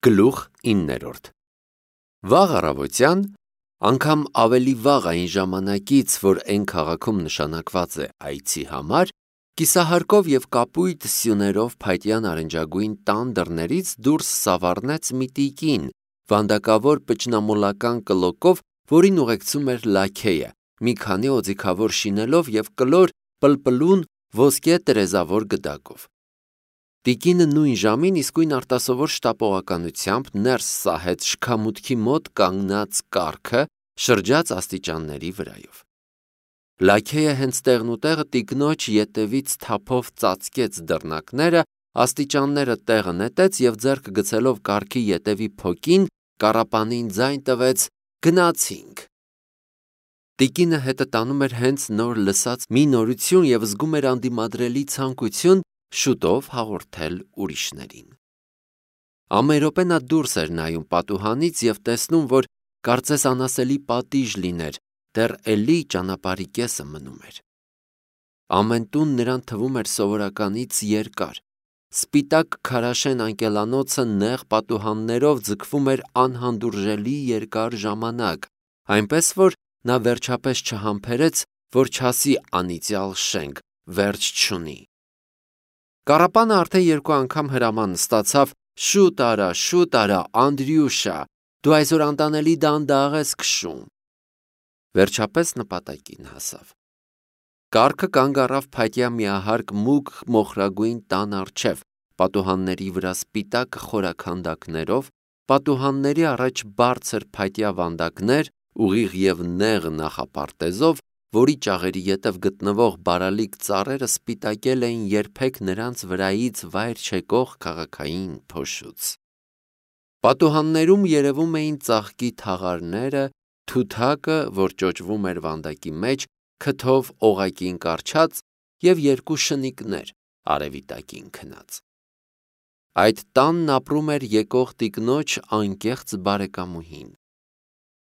Գլուխ 9 Վաղ առավոտյան, անգամ ավելի վաղ այն ժամանակից, որ այն քաղաքում նշանակված է այցի համար, կիսահարկով և կապույտ սյուներով փայտյա նարնջագույն տան դռներից դուրս սավառնեց մի տիկին, վանդակավոր պճնամոլական կլոկով, որին ուղեկցում էր լաքեյը, մի քանի օձիքավոր շինելով և կլոր պլպլուն ոսկե տերևազոր գդակով։ Տիկինը նույն ժամին իսկույն արտասովոր շտապողականությամբ ներս սահեց շքամուտքի մոտ կանգնած կառքը, շրջաց աստիճանների վրայով։ Լաքեյը հենց տեղնուտեղը տիկնոջ ետևից թափով ծածկեց դռնակները, աստիճանները տեղը նետեց և ձեռքը գցելով կառքի ետևի փոկին, կառապանին ձայն տվեց. «Գնացինք»։ Տիկինը հետը տանում էր հենց նոր լսած մի նորություն և զգում էր անդիմադրելի ցանկություն շուտով հաղորդել ուրիշներին։ Ամեն րոպե նա դուրս էր նայում պատուհանից և տեսնում, որ կարծես անասելի պատիժ լիներ, դեռ էլի ճանապարհի կեսը մնում էր։ Ամեն տուն նրան թվում էր սովորականից երկար։ Սպիտակ քարաշեն անկելանոցը նեղ պատուհաններով ձգվում էր անհանդուրժելի երկար ժամանակ, այնպես որ նա վերջապես չհամբերեց, որ չասի անիծյալ շենք վերջ չունի։ Կառապանը արդեն երկու անգամ հրաման ստացավ. «Շուտ արա, Անդրյուշա, դու այսօր անտանելի դանդաղ ես քշում»։ Վերջապես նպատակին հասավ։ Կառքը կանգ առավ փայտյա միահարկ մուգ մոխրագույն տան առջև, պատուհանների վրա սպիտակ խորաքանդակներով, պատուհանների առաջ բարձր փայտյա վանդակներ, ուղիղ և նեղ նախապարտեզով, որի ճաղերի ետև գտնվող բարալիկ ծառերը սպիտակել էին երբեք նրանց վրայից վայր չեկող քաղաքային փոշուց։ Պատուհաններում երևում էին ծաղկի թաղարները, թութակը, որ ճոճվում էր վանդակի մեջ, քթով օղակին կառչած, և երկու շնիկներ արևի տակին քնած։ Այդ տանն ապրում էր եկող տիկնոջ անկեղծ բարեկամուհին։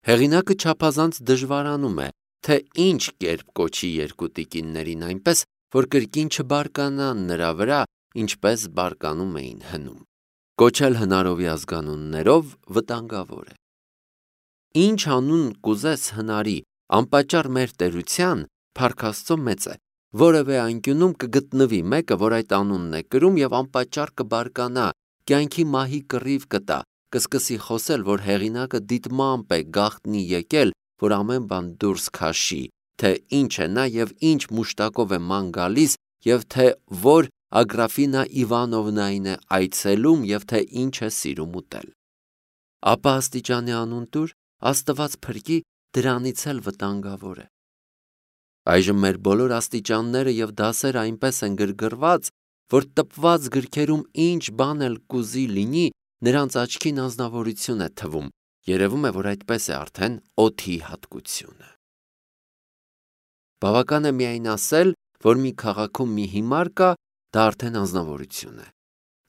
Հեղինակը չափազանց դժվարանում է, թե ինչ կերպ կոչի երկու տիկիններին այնպես, որ կրկին չբարկանան նրա վրա, ինչպես բարկանում էին հնում։ Կոչել հնարովի ազգանուններով վտանգավոր է։ Ինչ անուն կուզես հնարի, անպատճառ մեր տերության, փառք Աստծո, մեծ է, որևէ անկյունում կգտնվի մեկը, որ այդ անունն է կրում և անպատճառ կբարկանա, կյանքի մահի կռիվ կտա, կսկսի խոսել, որ հեղինակը դիտմամբ է գաղտնի եկել, որ ամեն բան դուրս քաշի, թե ինչ է նա և ինչ մուշտակով է ման գալիս և թե որ Ագրաֆինա Իվանովնային է այցելում և թե ինչ է սիրում ուտել։ Ապա աստիճանի անուն տուր, Աստված փրկի, դրանից էլ վտանգավոր է։ Այժմ մեր բոլոր աստիճանները և դասերը այնպես են գրգռված, որ տպված գրքերում ինչ բան էլ կուզի լինի, նրանց աչքին անձնավորություն է թվում, երևում է, որ այդպես է արդեն օդի հատկությունը։ Բավական է միայն ասել, որ մի քաղաքում մի հիմար կա, դա արդեն անձնավորություն է։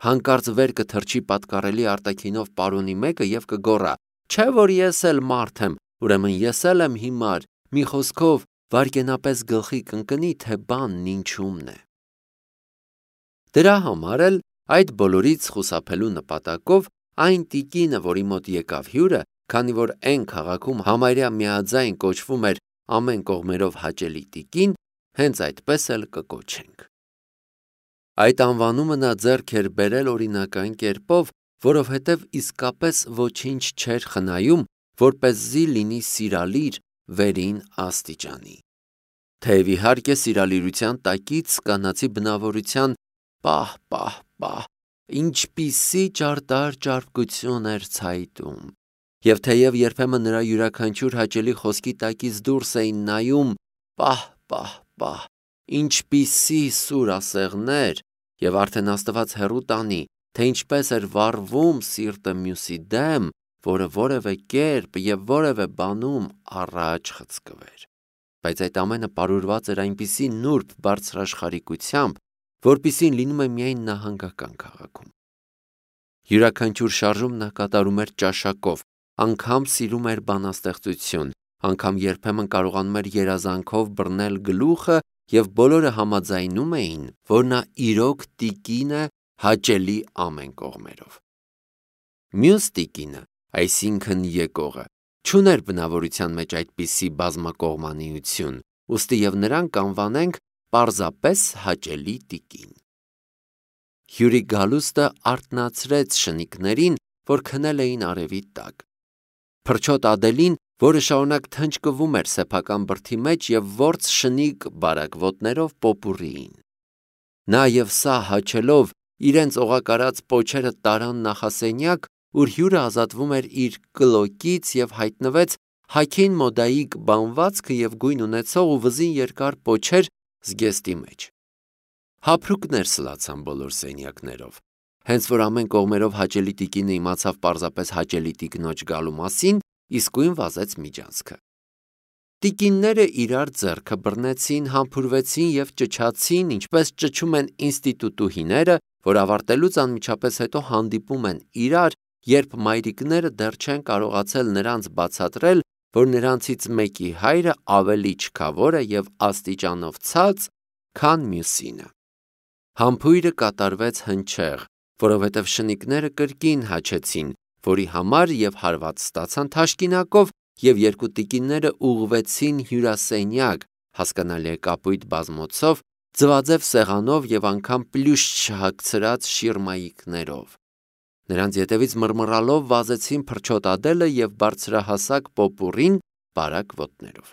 Հանկարծ վեր կթռչի պատկառելի արտաքինով պարոնի մեկը և կգոռա. «Չէ՞ որ ես էլ մարդ եմ, ուրեմն ես էլ եմ հիմար», մի խոսքով վայրկենապես գլխի կընկնի, թե բանն ինչումն է։ Դրա համար էլ այդ բոլորից խուսափելու նպատակով այն տիկինը, որի մոտ եկավ հյուրը, քանի որ էն քաղաքում համարյա միաձայն կոչվում էր ամեն կողմերով հաճելի տիկին, հենց այդպես էլ կկոչենք։ Այդ անվանումը նա ձեռք էր բերել օրինական կերպով, որովհետև իսկապես ոչինչ չէր խնայում, որպեսզի լինի սիրալիր վերին աստիճանի։ Թեև իհարկե սիրալիրության տակից կանացի բնավորության պահ, ինչպիսի ճարտար ճարպկություն էր ցայտում, և թեև երբեմն նրա յուրաքանչյուր հաճելի խոսքի տակից դուրս էին նայում պահ, ինչպիսի սուր ասեղներ, և արդեն Աստված հեռու տանի, թե ինչպես էր վառվում սիրտը մյուսի դեմ, որը որևէ կերպ և որևէ բանում առաջ խցկվեր։ Բայց այդ ամենը պարուրված էր այնպիսի նուրբ բարձրաշխարհիկությամբ, որպիսին լինում է միայն նահանգական քաղաքում։ Յուրաքանչյուր շարժում նա կատարում էր ճաշակով, անգամ սիրում էր բանաստեղծություն, անգամ երբեմն կարողանում էր երազանքով բռնել գլուխը և բոլորը համաձայնում էին, որ նա իրոք տիկին է հաճելի ամեն կողմերով։ Մյուս տիկինը, այսինքն եկողը, չուներ բնավորության մեջ այդպիսի բազմակողմանիություն, ուստի եւ նրան կանվանենք պարզապես հաճելի տիկին։ Հյուրի գալուստը արթնացրեց շնիկներին, որ քնել էին արևի տակ։ Փրչոտ Ադելին, որը շարունակ թնջկվում էր սեփական բրդի մեջ եւ ворց շնիկ բարակվոտներով պոպուռիին։ Նա եւ սա հաչելով իրենց օղակարած պոչերը տարան նախասենյակ, ուր հյուրը ազատվում էր իր կլոկից եւ հայտնվեց հագին մոդայիկ բանվածքը եւ գույն ունեցող ու վզին երկար պոչեր զգեստի մեջ։ Հափրուկներ սլացան բոլոր սենյակներով։ Հենց որ ամեն կողմերով հաճելի տիկինը իմացավ պարզապես հաճելի տիկնոջ գալու մասին, իսկույն վազեց միջանցքը։ Տիկինները իրար ձեռքը բռնեցին, համբուրվեցին եւ ճչացին, ինչպես ճչում են ինստիտուտուհիները, որ ավարտելուց անմիջապես հետո հանդիպում են իրար, երբ մայրիկները դեռ չեն կարողացել նրանց բացատրել, որ նրանցից մեկի հայրը ավելի չքավոր է եւ աստիճանով ցած, քան մյուսինը։ Համբույրը կատարվեց հնչեղ, որովհետև շնիկները կրկին հաչեցին, որի համար եւ հարված ստացան թաշկինակով, եւ երկու տիկինները ուղղվեցին հյուրասենյակ, հասկանալի է կապույտ բազմոցով, ձվածև սեղանով եւ անգամ պլյուշ չհագցրած շիրմայիկներով։ Նրանց ետևից մռմռալով վազեցին Փրչոտ Ադելը եւ բարձրահասակ պոպուռին բարակ ոտներով։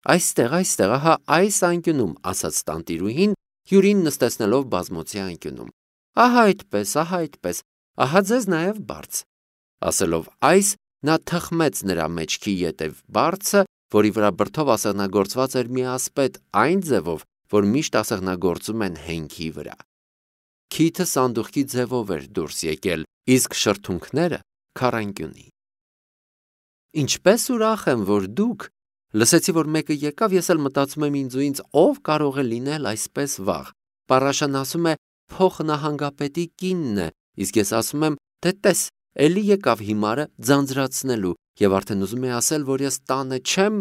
Այստեղ, ահա այս անկյունում, ասաց տանտիրուհին, հյուրին նստեցնելով բազմոցի անկյունում։ Ահա այդպես, ահա ձեզ նաև բարձ։ Ասելով այս, նա թխմեց նրա մեջքի ետև բարձը, որի վրա բրդով ասեղնագործված էր մի ասպետ այն ձևով, որ միշտ ասեղնագործում են հենքի վրա։ Քիթը սանդուղքի ձևով էր դուրս եկել, իսկ շրթունքները քառանկյունի։ Ինչպես ուրախ եմ, որ դուք, լսեցի, որ մեկը եկավ, ես էլ մտածում եմ ինձ ու ինձ ով կարող է լինել այսպես վաղ։ Պարաշան ասում է փոխնահանգապետի կինն է, իսկ ես ասում եմ, թե տես, էլի եկավ հիմարը ձանձրացնելու եւ արդեն ուզում է ասել, որ ես տանը չեմ։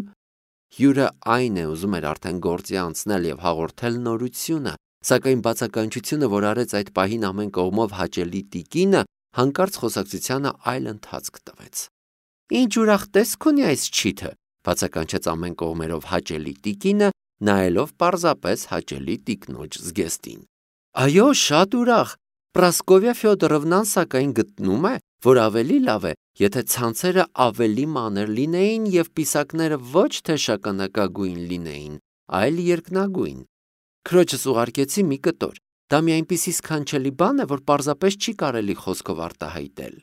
Հյուրը այն է ուզում էր արդեն գործի անցնել եւ հաղորդել նորությունը, սակայն բացականչությունը, որ արեց այդ պահին ամեն կողմով հաճելի տիկինը, հանկարծ խոսակցությանը այլ ընթացք տվեց։ Ինչ ուրախ տեսք ունի այս չիթը, բացականչեց ամեն կողմերով հաճելի տիկինը, նայելով պարզապես հաճելի տիկնոջ զգեստին։ Այո, շատ ուրախ։ Պրասկովիա Ֆյոդորովնան սակայն գտնում է, որ ավելի լավ է, եթե ցանցերը ավելի մանր լինեին եւ պիսակները ոչ թե շագանակագույն լինեին, այլ երկնագույն։ Քրոջս ուղարկեցի մի կտոր։ Դա մի այնպիսի սքանչելի բան է, որ պարզապես չի կարելի խոսքով արտահայտել։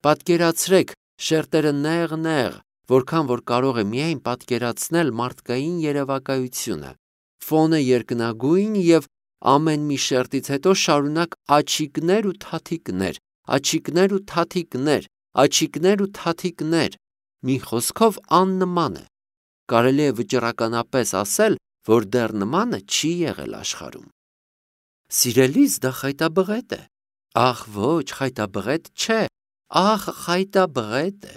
Պատկերացրեք, շերտերը նեղ, որքան որ կարող է միայն պատկերացնել մարդկային երևակայությունը։ Ֆոնը երկնագույն եւ ամեն մի շերտից հետո շարունակ աչիկներ ու թաթիկներ, աչիկներ ու թաթիկներ, աչիկներ ու թաթիկներ։ Մի խոսքով աննման է։ Կարելի է վճռականապես ասել, որ դեռ նմանը չի եղել աշխարհում։ Սիրելիս, դա խայտաբղետ է։ Ախ, ոչ, խայտաբղետ չէ, ախ, խայտաբղետ է։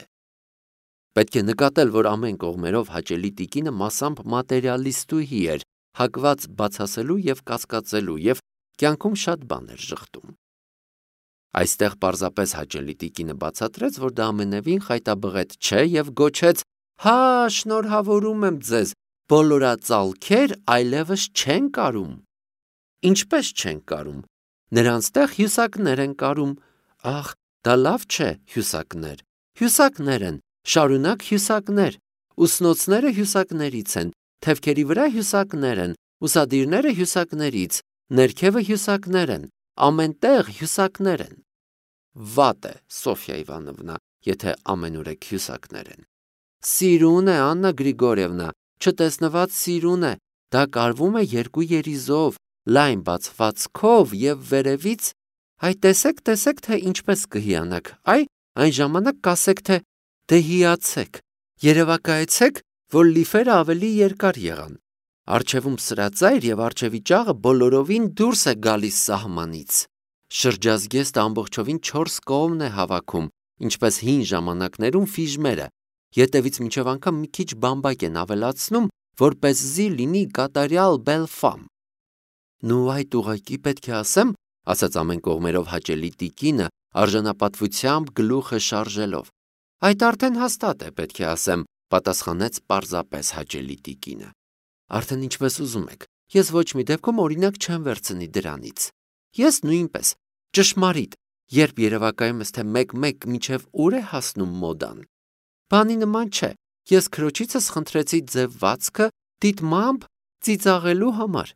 Պետք է նկատել, որ ամեն կողմերով հաճելի տիկինը մասամբ մատերիալիստուհի էր, հակված բացասելու եւ կասկածելու եւ կյանքում շատ բան էր ժխտում։ Այստեղ պարզապես հաճելի տիկինը բացատրեց, որ դա ամենևին խայտաբղետ չէ եւ գոչեց. «Հա, շնորհավորում եմ ձեզ, բոլորածալքեր այլևս չեն կարում»։ Ինչպես չեն կարում։ Նրանց տեղ հյուսակներ են կարում։ Ախ, դա լավ չէ, հյուսակներ։ Հյուսակներ են, շարունակ հյուսակներ։ Ուսնոցները հյուսակներից են, թևքերի վրա հյուսակներ են, ուսադիրները հյուսակներից, ներքևը հյուսակներ են, ամեն տեղ հյուսակներ են։ Վատ է, Սոֆյա Իվանովնա, եթե ամենուրեք հյուսակներ են։ Սիրուն է, Աննա Գրիգորիևնա, չտեսնված սիրուն է, դա կարվում է երկու երիզով, լայն բացվածքով եւ վերևից, այ տեսեք, թե ինչպես կհիանաք, այն ժամանակ կասեք, թե դե հիացեք, երևակայեցեք, որ լիֆերը ավելի երկար եղան։ Արջևում սրածայր եւ արջևի ճաղը բոլորովին դուրս է գալիս սահմանից։ Շրջազգեստը ամբողջովին 4 կողմն է հավաքում, ինչպես հին ժամանակներում ֆիժմերը, ետևից մինչև անգամ մի քիչ բամբակ են ավելացնում, որպեսզի լինի կատարյալ բելֆամ։ Նու այդ ուղակի պետք է ասեմ, ասաց ամեն կողմերով հաճելի տիկինը, արժանապատվությամբ գլուխը շարժելով։ Այդ արդեն հաստատ է, պետք է ասեմ, պատասխանեց պարզապես հաճելի տիկինը։ Արդեն ինչպես ուզում եք, ես ոչ մի դեպքում օրինակ չեմ վերցնի դրանից։ Ես նույնպես, ճշմարիտ, երբ երևակայում ես, թե մեկ-մեկ մինչև ուր է հասնում մոդան։ Բանի նման չէ, ես քրոջիցս խնդրեցի ձևվածքը դիտմամբ ծիծաղելու համար։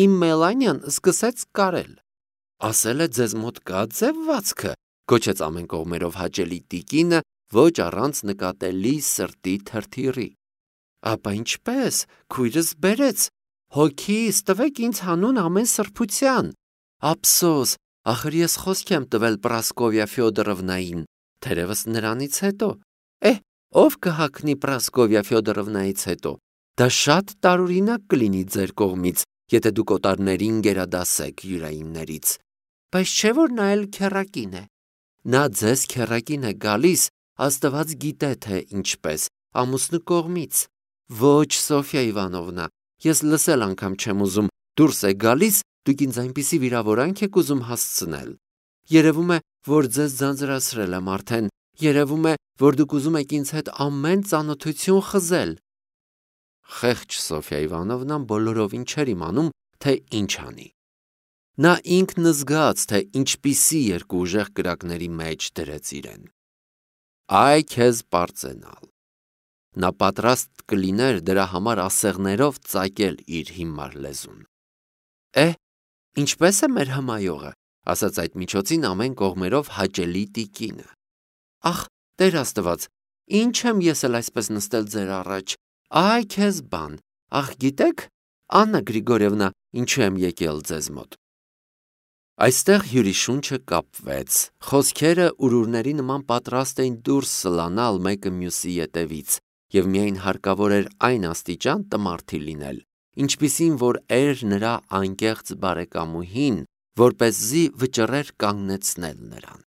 Իմ Մելանիան սկսեց կարել։ Ասել է ձեզ մոտ կա ձևվածքը, գոչեց ամեն կողմերով հաճելի տիկինը, ոչ առանց նկատելի սրտի թրթիռի։ Ապա ինչպես, քույրս բերեց, հոգիս տվեք ինձ հանուն ամեն սրբության։ Ափսոս, ախր ես խոսք եմ տվել Պրասկովիա Ֆյոդորովնային, թերևս նրանից հետո։ Ով կհագնի Պրասկովիա Ֆյոդորովնայից հետո։ Դա շատ տարօրինակ կլինի ձեր կողմից, եթե դուք օտարներին գերադասեք յուրայիններից։ Բայց չէ՞ որ նա էլ քեռակին է։ Նա ձեզ քեռակին է գալիս, Աստված գիտե թե ինչպես, ամուսնու կողմից։ Ոչ, Սոֆիա Իվանովնա, ես լսել անգամ չեմ ուզում, դուրս է գալիս, դուք ինձ այնպիսի վիրավորանք եք ուզում հասցնել։ Երևում է, որ ձեզ ձանձրացրել եմ արդեն, երևում է, որ դուք ուզում եք ինձ հետ ամեն ծանոթություն խզել։ Խեղճ Սոֆիա Իվանովնան բոլորովին չէր իմանում, թե ինչ անի։ Նա ինքն զգաց, թե ինչպիսի երկու ուժեղ կրակների մեջ դրեց իրեն։ Այ քեզ պարծենալ։ Նա պատրաստ կլիներ դրա համար ասեղներով ծակել իր հիմար լեզուն։ Ինչպես է մեր հմայողը, ասաց այդ միջոցին ամեն կողմերով հաճելի տիկինը։ Ախ, Տեր Աստված, ինչ եմ ես էլ այսպես նստել ձեր առաջ, այ քեզ բան, ախ գիտեք, Աննա Գրիգորևնա, ինչու եմ եկել ձեզ մոտ։ Այստեղ հյուրի շունչը կապվեց, խոսքերը ուրուրների նման պատրաստ էին դուրս սլանալ մեկը մյուսի ետևից, և միայն հարկավոր էր այն աստիճան տմարդի լինել, ինչպիսին որ էր նրա անկեղծ բարեկամուհին, որպեսզի վճռեր կանգնեցնել նրան։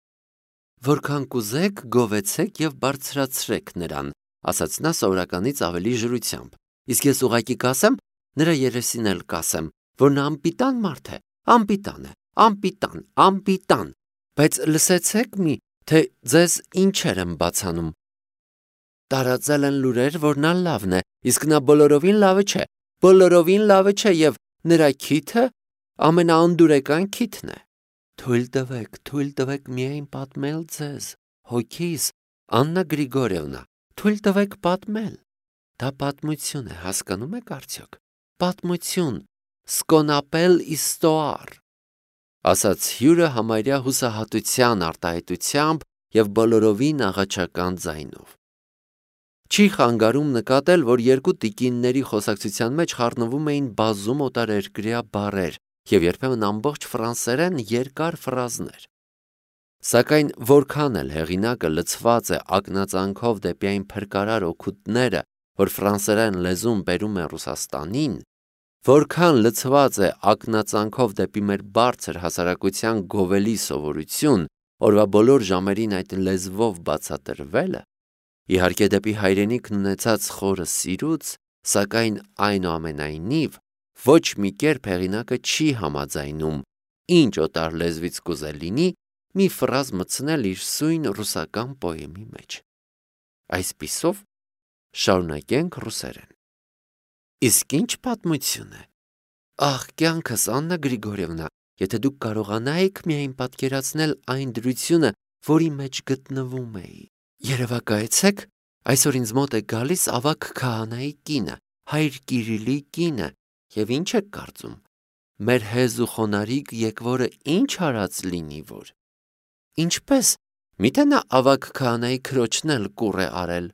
Որքան կուզեք, գովեցեք և բարձրացրեք նրան, ասաց նա սովորականից ավելի ժորությամբ, իսկ ես ուղղակի կասեմ, նրա երեսին էլ կասեմ, որ նա անպիտան մարդ է, անպիտան է, անպիտան, բայց լսեցեք մի, թե ձեզ ինչեր եմ բացանում։ Տարածել են լուրեր, որ նա լավն է, իսկ նա բոլորովին լավը չէ և նրա քիթը ամենաանդուրեկան քիթն է։ Թույլ տվեք միայն պատմել ձեզ, հոգիս, Աննա Գրիգորևնա, թույլ տվեք պատմել։ Դա պատմություն է, հասկանում եք արդյոք։ Պատմություն, սկոնապել իստոար, ասաց հյուրը համարյա հուսահատության արտահայտությամբ և բոլորովին աղաչական ձայնով։ Չի խանգարում նկատել, որ երկու տիկինների խոսակցության մեջ խառնվում էին բազում օտարերկրյա բառեր և երբեմն ամբողջ ֆրանսերեն երկար ֆրազներ։ Սակայն որքան էլ հեղինակը լցված է ակնածանքով դեպի այն փրկարար օգուտները, որ ֆրանսերեն լեզուն բերում է Ռուսաստանին, որքան լցված է ակնածանքով դեպի մեր բարձր հասարակության գովելի սովորություն, օրվա բոլոր ժամերին այդ լեզվով բացատրվելը, իհարկե դեպի հայրենիքն ունեցած խորը սիրուց, սակայն այնուամենայնիվ ոչ մի կերպ հեղինակը չի համաձայնում, ինչ օտար լեզվից կուզել լինի, մի ֆրազ մտցնել իր սույն ռուսական պոեմի մեջ։ Այսպիսով շարունակենք ռուսերեն։ Իսկ ինչ պատմություն է։ Ախ, կյանքս, Աննա Գրիգորևնա, եթե դուք կարողանայիք միայն պատկերացնել այն դրությունը, որի մեջ գտնվում էի։ Երևակայեցեք, այսօր ինձ մոտ է գալիս ավագ քահանայի կինը, հայր Կիրիլի կինը, և ինչ եք կարծում, մեր հեզ ու խոնարհիկ եկվորը ինչ արած լինի որ։ Ինչպես, միթե նա ավագ քահանայի քրոջն էլ կուռ է արել։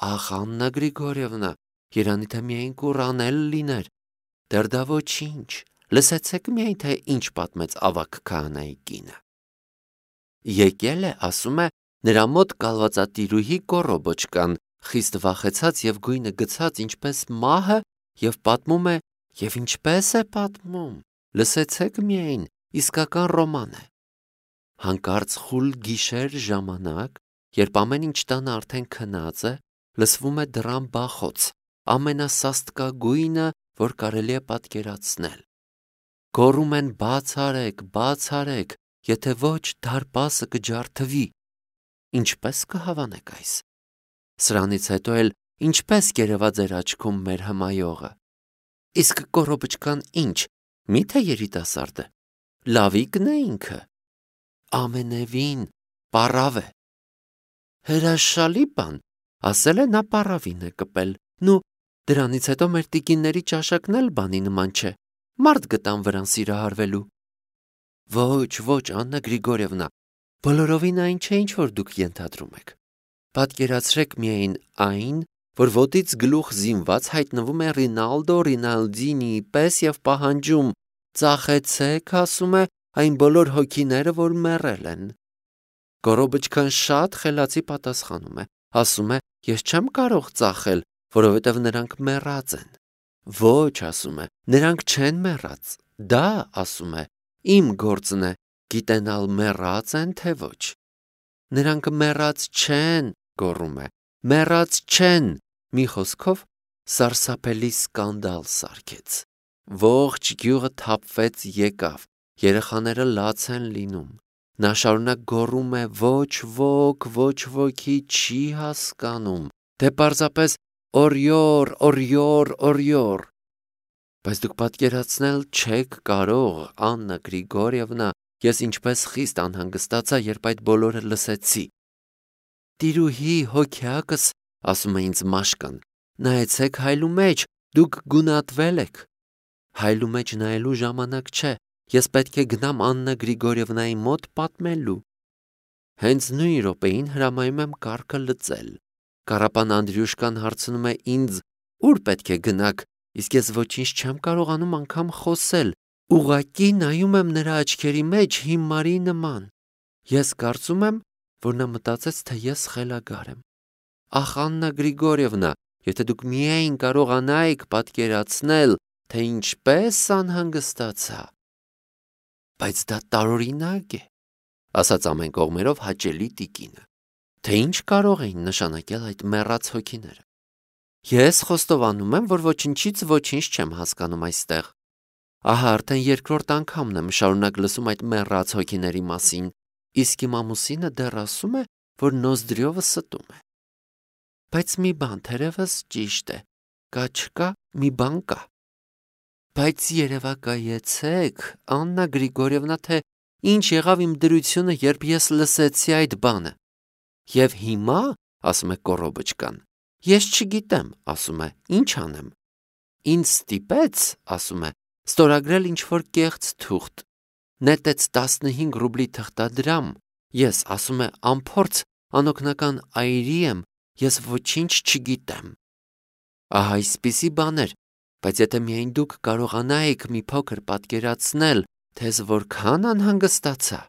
Ախ, Աննա Գրիգորևնա, երանի թե միայն կուռ անել լիներ։ Դեռ դա ոչինչ, լսեցեք միայն, թե ինչ պատմեց ավագ քահանայի կինը։ Եկել է, ասում է, նրա մոտ կալվածատիրուհի կոռոբոչկան, խիստ վախեցած և գույնը գցած ինչպես մահը, և պատմում է, և ինչպես է պատմում, լսեցեք միայն, իսկական ռոման է։ Հանկարծ խուլ գիշեր ժամանակ, երբ ամեն ինչ տանը արդեն քնած է, լսվում է դռան բախոց, ամենասաստկագույնը, որ կարելի է պատկերացնել։ Գոռում են՝ բաց արեք, եթե ոչ դարպասը կջարդվի։ Ինչպես կհավանեք այս։ Սրանից հետո էլ ինչպես կերևա ձեր աչքում մեր հմայողը։ Իսկ կոռոբչկան ինչ, միթե երիտասարդ է, լավիկն է ինքը։ Ամենևին պառավ է։ Հրաշալի բան, ասել է նա պառավին է կպել։ Նու, դրանից հետո մեր տիկինների ճաշակն էլ բանի նման չէ, մարդ գտան վրան սիրահարվելու։ Ոչ, Աննա Գրիգորևնա, բոլորովին այն չէ, ինչ որ դուք ենթադրում եք։ Պատկերացրեք միայն այն, որ ոտից գլուխ զինված հայտնվում է Ռինալդո Ռինալդինիի պես և պահանջում. ծախեցեք, ասում է, այն բոլոր հոգիները, որ մեռել են։ Կոռոբչկան շատ խելացի պատասխանում է, ասում է, ես չեմ կարող ծախել, որովհետև նրանք մեռած են։ Ոչ, ասում է, նրանք չեն մեռած։ Դա, ասում է, իմ գործն է, գիտենալ մեռած են, թե ոչ։ Նրանք մեռած չեն, գոռում է, մեռած չեն։ Մի խոսքով սարսափելի սկանդալ սարքեց։ Ողջ գյուղը թափվեց եկավ, երեխաները լաց են լինում։ Նա շարունակ գոռում է, ոչ ոքի չի հասկանում, դե պարզապես օրյոր։ Բայց դուք պատկերացնել չեք կարող, Աննա Գրիգորևնա, ես ինչպես խիստ անհանգստացա, երբ այդ բոլորը լսեցի։ Տիրուհի հոգյակս, ասում է ինձ Մաշկան, նայեցեք հայլու մեջ, դուք գունատվել եք։ Հայլու մեջ նայելու ժամանակ չէ, ես պետք է գնամ Աննա Գրիգորևնայի մոտ պատմելու։ Հենց նույն րոպեին հրամայում եմ կառքը լծել։ Կառապան Անդրյուշկան հարցնում է ինձ, ուր պետք է գնաք, իսկ ես ոչինչ չեմ կարողանում անգամ խոսել, ուղղակի նայում եմ նրա աչքերի մեջ հիմարի նման։ Ես կարծում եմ, որ նա մտածեց, թե ես խելագար եմ։ Ախ, Աննա Գրիգորևնա, եթե դուք միայն կարողանայիք պատկերացնել, թե ինչպես անհանգստացա։ Բայց դա տարօրինակ է, ասաց ամեն կողմերով հաճելի տիկինը, թե ինչ կարող էին նշանակել այդ մեռած հոգիները։ Ես խոստովանում եմ, որ ոչինչից ոչինչ չեմ հասկանում այստեղ։ Ահա արդեն երկրորդ անգամն եմ շարունակ լսում այդ մեռած հոգիների մասին, իսկ իմ ամուսինը դեռ ասում է, որ նոզդրյովը ստում է։ Բայց մի բան թերևս ճիշտ է, կա չկա, մի բան կա։ Բայց երևակայեցեք, Աննա Գրիգորևնա, թե ինչ եղավ իմ դրությունը, երբ ես լսեցի այդ բանը։ Եվ հիմա, ասում է Կոռոբչկան, ես չգիտեմ, ասում է, ինչ անեմ։ Ինձ ստիպեց, ասում է, ստորագրել ինչ-որ կեղծ թուղթ, նետեց 15 ռուբլի թղթադրամ, ես, ասում է, անփորձ անօգնական այրի եմ, ես ոչինչ չգիտեմ։ Ահա այսպիսի բաներ, բայց եթե միայն դուք կարողանայիք մի փոքր պատկերացնել, թե ես որքան անհանգստացա։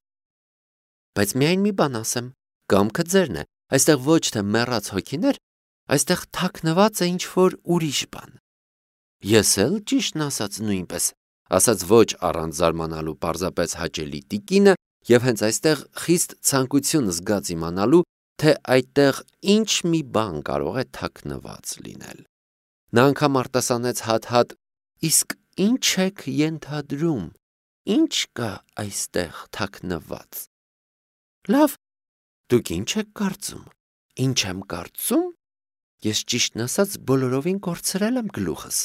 Բայց միայն մի բան ասեմ, կամքը ձերն է, այստեղ ոչ թե մեռած հոգիներ, այստեղ թաքնված է ինչ-որ ուրիշ բան։ Ես էլ ճիշտն ասած նույնպես, ասաց ոչ առանց զարմանալու պարզապես հաճելի տիկինը, և հենց այստեղ խիստ ցանկություն զգաց իմանալու, թե այդտեղ ինչ մի բան կարող է թաքնված լինել։ Նա անգամ արտասանեց հատ-հատ, իսկ ինչ եք ենթադրում, ինչ կա այստեղ թաքնված։ Լավ, դուք ինչ եք կարծում, ինչ եմ կարծում, ես ճիշտն ասած բոլորովին կորցրել եմ գլուխս,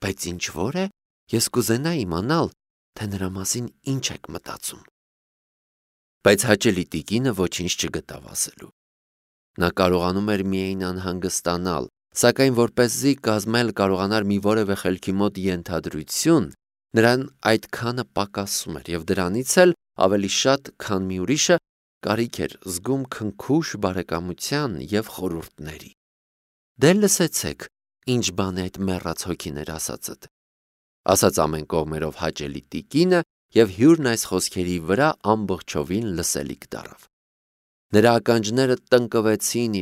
բայց ինչ որ է, ես կուզենա իմանալ, թե նրա մասին ինչ եք մտածում։ Բայց հաճելի տիկինը ոչինչ չգտավ ասելու։ Նա կարողանում էր միայն անհանգստանալ, սակայն որպեսզի կազմել կարողանար մի որևէ խելքի մոտ ենթադրություն, նրան այդքանը պակասում էր և դրանից էլ ավելի շատ, քան մի ուրիշը, կարիք էր զգում քնքուշ բարեկամության և խորհուրդների։ Դե լսեցեք, ինչ բան է այդ մեռած հոգիներ ասածդ, ասաց ամեն կողմերով հաճելի տիկինը և հյուրն այս խոսքերի վրա ամբողջովին լսելիք դառավ։ Նրա ականջները տնկվեցին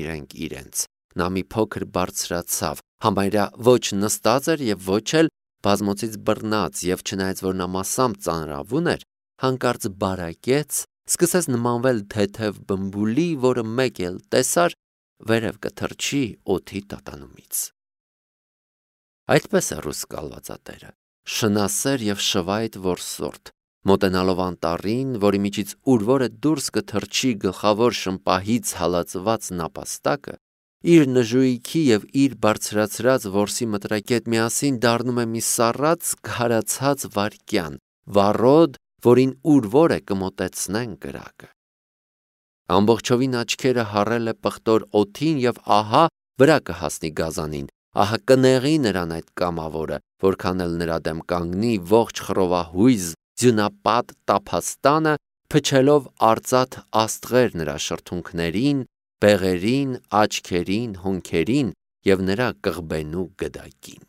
իրենց, նա մի փոքր բարձրացավ, համարյա ոչ նստած էր և ոչ էլ բազմոցից բռնած, և չնայած որ նա մասամբ ծանրավուն էր, հանկարծ բարակեց, սկսեց նմանվել թեթև բմբուլի, որը մեկ էլ տեսար, վերև կթռչի օդի տատանումից։ Այդպես է ռուս կալվածատերը, շնասեր և շվայտ որսորդ, Մոտենալով անտառին, որի միջից ուրվորը դուրս կթռչի գլխավոր շմպահից հալածված նապաստակը, իր նժույքի և իր բարձրացրած որսի մտրակետ միասին դառնում է մի սառած քարացած վայրկյան, վառոդ, որին ուրվորը կմոտեցնեն կրակը։ Ամբողջովին աչքերը հառել է պղտոր օդին և ահա վրա կհասնի գազանին, ահա կնեղի նրան այդ կամավորը, որքան էլ նրա դեմ կանգնի ողջ խռովահույզ ձյունապատ տափաստանը, փչելով արծաթ աստղեր նրա շրթունքներին, բեղերին, աչքերին, հոնքերին և նրա կղբենու գդակին։